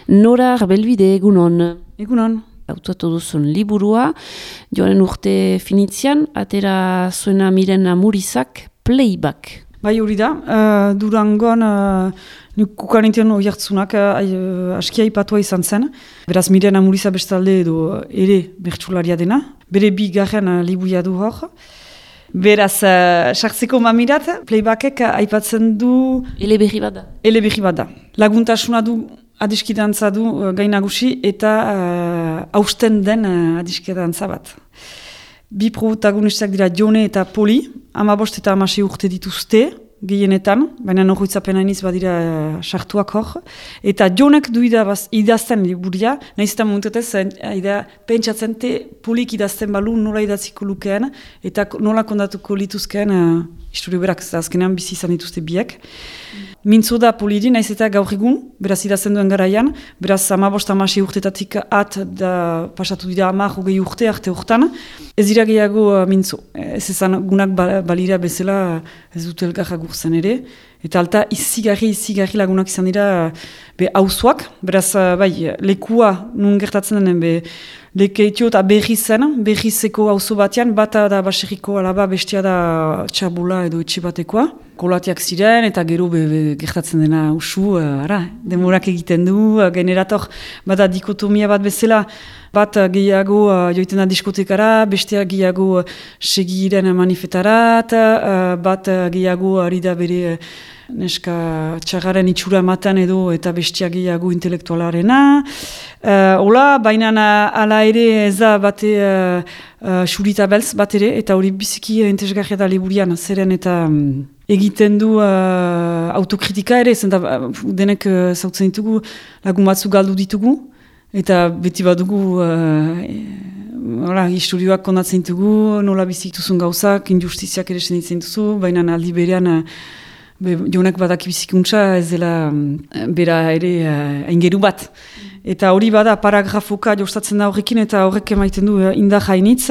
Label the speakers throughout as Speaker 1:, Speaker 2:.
Speaker 1: Nora Arbelbide, egunon.
Speaker 2: Egunon.
Speaker 1: Autoatu duzun liburua, joaren urte finitzian, atera zuena Miren Amurizak, Playback.
Speaker 2: Bai hori da, Durangon kukarintian oiartzunak askia ipatua izan zen. Beraz Miren Amuriza bestalde edo ere bertsularia dena. Bere bigarren libuia du hor. Beraz, sartzeko mamirat, Playbackek aipatzen du...
Speaker 1: Eleberri bat da.
Speaker 2: Eleberri bat da. Laguntasuna du adiskidantza du gainagusi eta hausten den adiskidantza bat. Bi protagonistak dira Jone eta Poli, 15 eta 16 urte dituzte, gehienetan, baina norroitzapen hainiz badira sartuak hor. Eta Jonek du idazten liburia, nahiz eta momentetez pentsatzen Polik idazten balu nola idatziko lukeen, eta nola kondatuko lituzkeen historio berak, azkenean bizi izan dituzte biek. Mintzo da Poliri, nahiz eta gaur egun, beraz idazten duen garaian, beraz 15-16 urtetatik da pasatu dira 10-20 urte arte hortan, ez dira gehiago mintzo. Ez ezan gunak balira bezala ez dut elgarra gurtzen ere, eta alta izigarri lagunak izan dira hauzuak, beraz bai, lekua nun gertatzen denen lekeitio eta berrizeko hauzo batean, bata da baserriko alaba, bestia da txabula edo etxe batekoa. Kolatiak ziren eta gero gertatzen dena usu, demorak egiten du, generator bada dikotomia bat bezala, bat gehiago joiten da diskotekara, bestia gehiago segiren manifestarat, bat gehiago ari da bere neska txagaren itxura matan edo eta bestia gehiago intelektualarena. Hola, baina ala ere ez da bate xurita beltz bat ere, eta hori biziki entesgarria da liburian, zeren eta egiten du autokritika ere, zenta denek zautzen ditugu, lagun batzu galdu ditugu, eta beti badugu historioak kondatzen ditugu, nola bizik duzun gauzak, injustiziak ere senitzen duzu, baina aldi berean Jonek badaki bizikuntza ez dela bera ere aingeru bat. Eta hori bada paragrafoka jostatzen da horrekin eta horrek emaiten du indar hainitz.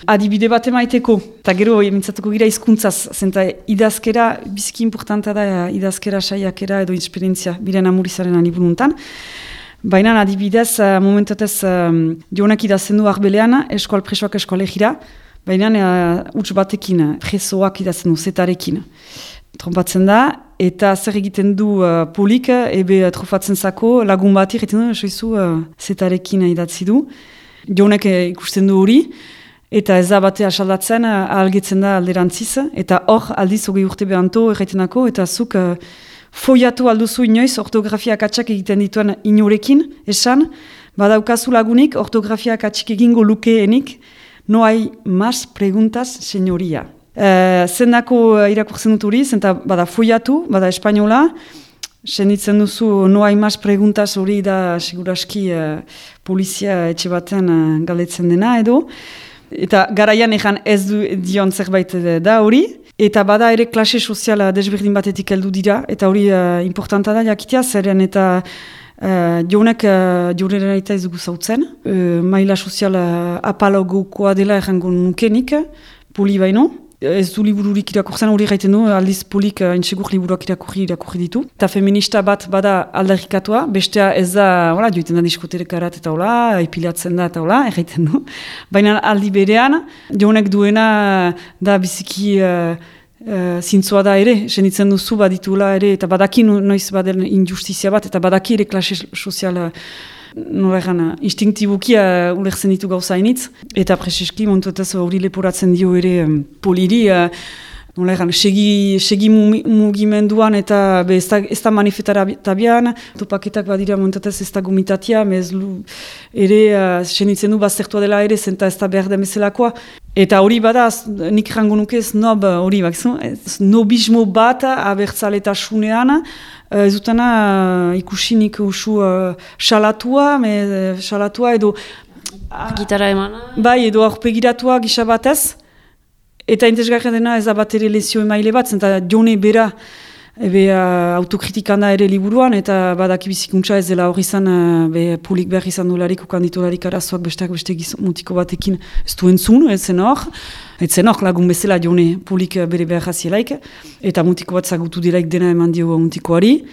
Speaker 2: Adibide bat emaiteko, eta gero mintzatuko gira hizkuntzaz, zenta idazkera, biziki importanta da idazkera saiakera edo esperientzia Miren Amurizaren liburuntan. Baina adibidez, momentatez Jonek idazten du Arbelean, eskual presoak eskoalegira, baina huts batekin, presoak idazten du, zetarekin. Trompatzen da, eta zer egiten du Polik, trofatzen zako, lagun bat egiten du, soizu zetarekin idatzi du. Jonek ikusten du hori, eta ez da bate asaldatzen, ahalgetzen da alderantziz, eta hor aldiz hogei urte behanto erraitenako, eta zuk foiatu alduzu inoiz ortografia akatsak egiten dituen inorekin, esan, badaukazu lagunik ortografia akatsak egingo lukeenik, no hay más preguntas, señoria. Zendako irakurtzen dut hori, zenta bada foiatu, bada espainola, senditzen duzu no hay más preguntas hori da seguraski polizia etxe batean galdetzen dena edo, eta garaian egan ez dion zerbait da hori, eta bada ere klase soziala desberdin batetik heldu dira, eta hori importanta da jakitea, zeren eta Jonek joreren aita ez dugu zautzen, maila soziala apalogokoa dela errango nukenik, Poli baino. Ez du libururik irakurtzen hori gaiten du, aldiz Polik intsegur liburuak irakurri ditu. Eta feminista bat bada aldarrikatua, bestea ez da, joiten da diskoterekarat eta epilatzen da eta erraiten du. Baina aldi berean, Jonek duena da biziki zintzoa da ere, senitzen duzu baditula ere, eta badaki noiz baden injustizia bat, eta badaki ere klase soziala, instinktibuki ulertzen ditu gauza hainitz, eta preseski montuetaz hori leporatzen dio ere Poliri, segi mugimenduan eta ez da manifestarabian, topaketak badira montuetaz ez da gomitatia, ere senitzen du baztertua dela ere, zenta ez da behar demezelakoa. Eta hori bada, nik rango nuke snob hori, snobismo bat abertzaletasunean, ez dutana ikusinik usu salatua edo...
Speaker 1: Gitara emana?
Speaker 2: Bai, edo aurpegiratua gisa batez, eta intezgarra dena ez da bat ere lezio emaile bat, zenta Jone bera autokritikan da ere liburuan, eta badaki bizikuntza ez dela hori izan Polik behar izan dolarik, ukanditolarik arazoak besteak beste mutiko batekin ez du entzun, ez zen hor lagun bezala Jone Polik bere behar jazielaik, eta mutiko bat zagutu delaik dena eman dio mutikoari,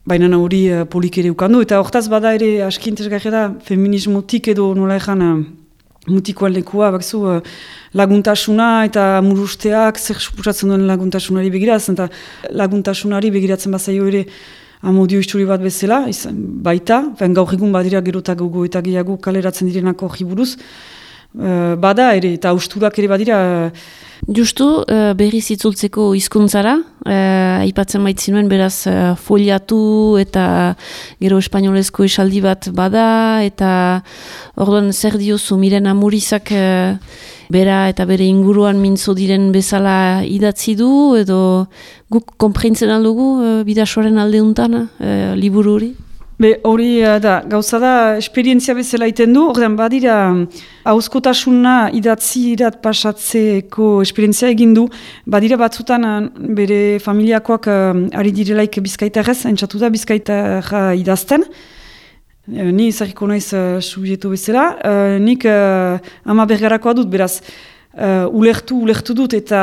Speaker 2: baina hori polik ere ukandu, eta hortaz bada ere aski interesgarria da, feminismotik edo nola ezan mutikoan lekua, bakzu, laguntasuna eta murusteak zer suposatzen duen laguntasunari begiratzen, eta laguntasunari begiratzen bazaio ere amodio histori bat bezala, baita, gaur egun badira gerotak gogo eta gehiago kaleratzen direnako jiburuz, bada ere, eta austurak ere badira.
Speaker 1: Justu, berriz itzultzeko hizkuntzara, aipatzen baitzinuen beraz foliatu eta gero espainolezko esaldi bat bada, eta orduan zer diozu Miren Amurizak bera eta bere inguruan mintzo diren bezala idatzi du, edo guk konprentzen aldugu bidasoaren aldeuntan liburu hori?
Speaker 2: Hori da, gauza da, esperientzia bezala iten du, ordean badira hauzkotasuna idatzirat pasatzeko esperientzia egin du, badira batzutan bere familiakoak ari direlaik bizkaitarrez, entzatu da bizkaitarra idazten, ni izarriko naiz subjetu bezala, nik ama bergarakoa dut, beraz, ulertu dut eta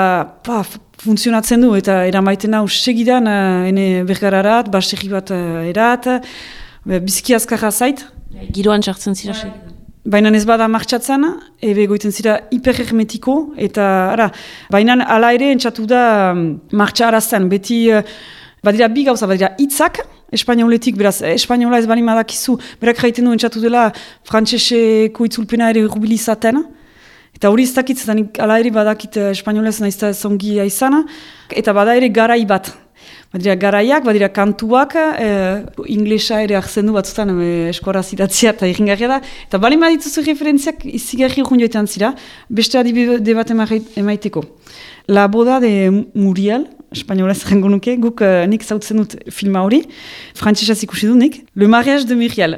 Speaker 2: funtzionatzen du, eta eramaiten hau segidan ene bergararat, basegi bat erat, bizki azkarra zait.
Speaker 1: Giroan txartzen zira segidan.
Speaker 2: Baina ez bada martxatzen, ebe goiten zira hiperhermetiko, eta baina ala ere entzatu da martxa arazten, beti badira bi gauza, badira hitzak, espainoletik, beraz, espainola ez bali madakizu, berak jaiten du entzatu dela frantseseko itzulpena ere rubilizaten, eta hori ez dakit, ala ere badakit espainolez naizta zongia izana, eta bada ere garai bat. Badira garaiak, badira kantuak, inglesa ere hartzen du batzutan eskoraz idatzia eta irringarria da. Eta bali madituzu referentziak izigarri urgun joetan zira, beste adibide bat emaiteko. La boda de Muriel, espainolez jango nuke, guk nik zautzen dut filma hori, frantsesaz ikusi du nik, Le mariage de Muriel.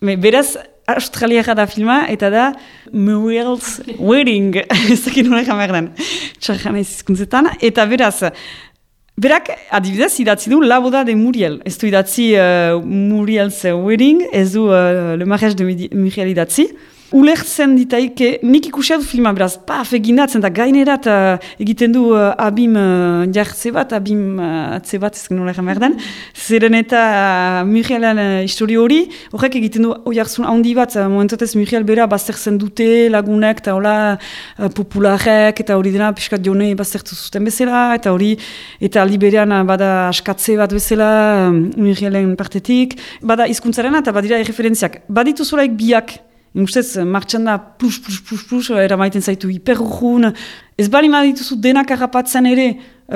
Speaker 2: Beraz, australiara da filma, eta da Muriel's wedding, ez dakit nolak amerdan, txarra nahiz izkuntzetan, eta beraz, berak, adibidez, idatzi du La boda de Muriel. Ez du idatzi Muriel's wedding, ez du Le mariage de Muriel idatzi. Ulertzen ditaike, nik ikusia du filma, beraz, eginatzen da gainerat egiten du abim jartze bat, abim atze bat, ez nola egin behar den. Zeren eta Murielen histori hori, horrek egiten du oiarzun handi bat, momentatez Muriel bera baztertzen dute lagunek, eta hola popularek, eta hori dena piskat jone baztertu zuten bezala, eta hori, eta liberean bada askatze bat bezala Murielen partetik, bada hizkuntzarena eta badira erreferentziak. Baditu zolaik biak, ustez, martxan da plus, eramaiten zaitu hiperurrun. Ez bali madituzu denak harrapatzen ere,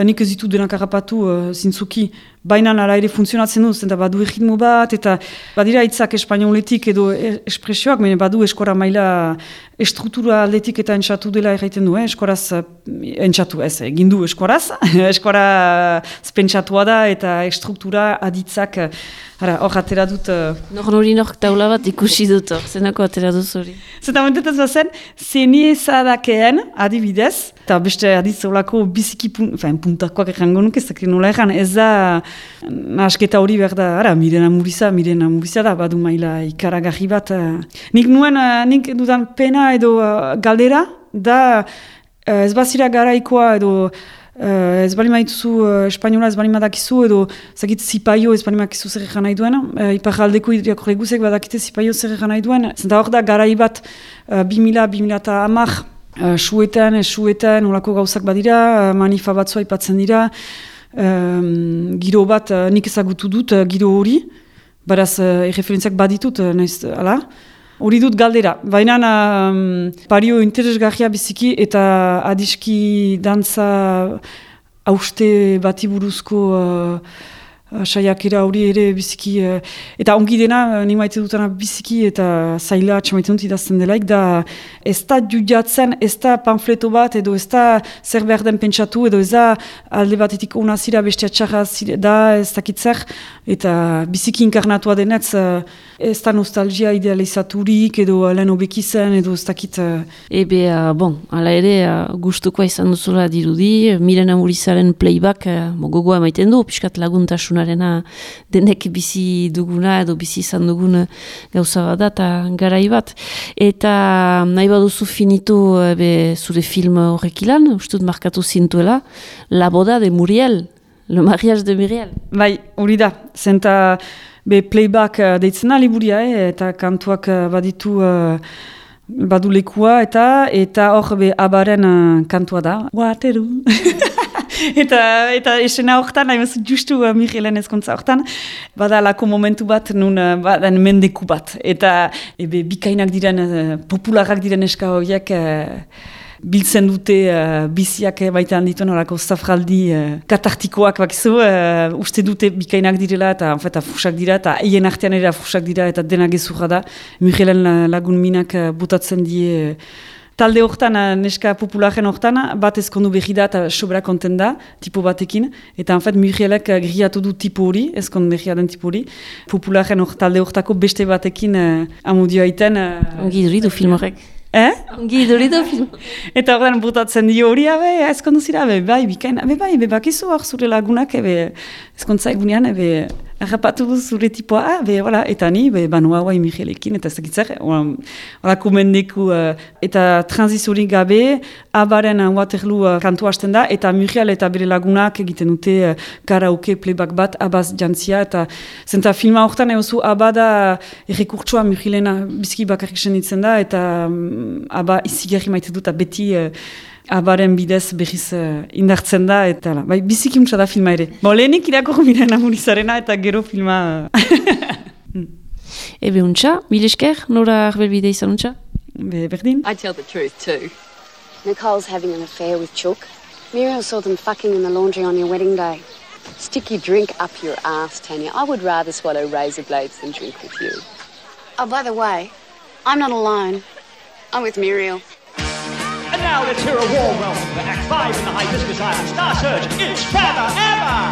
Speaker 2: nik ez ditu denak harrapatu zintzuki, baina nara ere funtzionatzen duz, eta badu erritmo bat, eta badira hitzak espainoletik edo espresioak, badu eskora maila estruktura aldetik eta entzatu dela erraiten du, eskoraz entzatu ez, egindu eskoraz, eskora spentsatua da eta estruktura aditzak, hor atera dut...
Speaker 1: Nor taula bat ikusi dut hor, zenako atera duz hori? Zeta
Speaker 2: momentetaz bazen, zeni ezadakeen adibidez, eta beste aditzaulako biziki puntakoak errango nuke, ez dakit nola erran, ez da nahasketa hori behar da, Miren Amurizia da, badu maila ikaragarri bat. Nik dudan pena edo galdera, da ez bazira garaikoa edo ez bali maituzu espainola ez bali madakizu edo zakit zipaio ez bali madakizu zer egan nahi duen, iparraldeko irakorre guzek badakite zipaio zer egan nahi duen, zenta hor da garai bat 2000-2010 suetan, olako gauzak badira, manifa batzua ipatzen dira, giro bat nik ezagutu dut giro hori, baraz erreferentziak baditut, ala, hori dut galdera. Baina pario interesgarria biziki eta adiski dantza hauste bati buruzko saiakera hori ere biziki, eta ongi dena, ni maite dutana biziki eta zaila atxamaiten dut idazten delaik, da ez da judiatzen, ez da pamfleto bat, edo ez da zer behar den pentsatu, edo ez da alde batetik ona zira, bestea txarra da, ez dakitzer, eta biziki inkarnatua denetz, ez da nostalgia idealizaturik, edo lehen obekizen, edo ez dakit...
Speaker 1: ala ere, gustukoa izan duzula dirudi, Miren Amurizaren playback gogoa maiten du, piskat laguntasunarena denek bizi duguna, edo bizi izan dugun gauza bat da, eta garai bat. Eta nahi baduzu finitu zure film horrek ilan, ustut markatu zintuela, La boda de Muriel, Le mariage de Muriel.
Speaker 2: Bai, hori da, zenta playback deitzen da liburia, eta kantuak baditu badu lekua, eta hor abaren kantua da. Waterloo. eta esena hortan, hain justu Murielen ezkontza hortan, badalako momentu bat, nun badan mendeku bat. Eta bikainak diren, popularak diren eska horiek, biltzen dute biziak baita handituen horako zafraldi katartikoak bakizu, uste dute bikainak direla eta fusak dira eta hien artean ere fusak dira eta dena gezurra da. Murielen lagun minak botatzen die talde hortan, neska popularen hortan, bat ezkondu behi da eta sobra konten da, tipo batekin, eta Murielek griatu du tipo hori, ezkond behia den tipo hori, popularen talde hortako beste batekin amudio aiten.
Speaker 1: Ongi duridu film horrek. Ongi duridu film.
Speaker 2: Eta horren botatzen dio hori, ezkondu zira, bai, bikain, bai, bakizu hor zure lagunak, ezkontza egunean, errapatu du zure tipoa, eta ni, banua guai Murielekin, eta ez dakitzer, horako mendeku, eta transizorik gabe, abaren Waterloo kantu hasten da, eta Muriel eta bere lagunak egiten dute karaoke playback bat, abaz jantzia, eta zenta filma horretan egozu abada errekurtsua Murielena bizki bakarrik senitzen da, eta aba izigarri maite dut, beti abaren bidez behiz indartzen da, eta bai, biziki untsa da filma ere. Lehenik irakorro miren amurizarena eta gero filma...
Speaker 1: Ebe untsa, milesker, nora arbelbide izan untsa?
Speaker 2: Berdin.
Speaker 3: I tell the truth too. Nicole's having an affair with Chook. Muriel saw them fucking in the laundry on your wedding day. Stick your drink up your ass, Tanya. I would rather swallow razor blades than drink with you. Oh, by the way, I'm not alone. I'm with Muriel.
Speaker 4: And now let's hear a warm welcome for Act 5 in the Hibiscus Island Star Search. It's Forever Ever!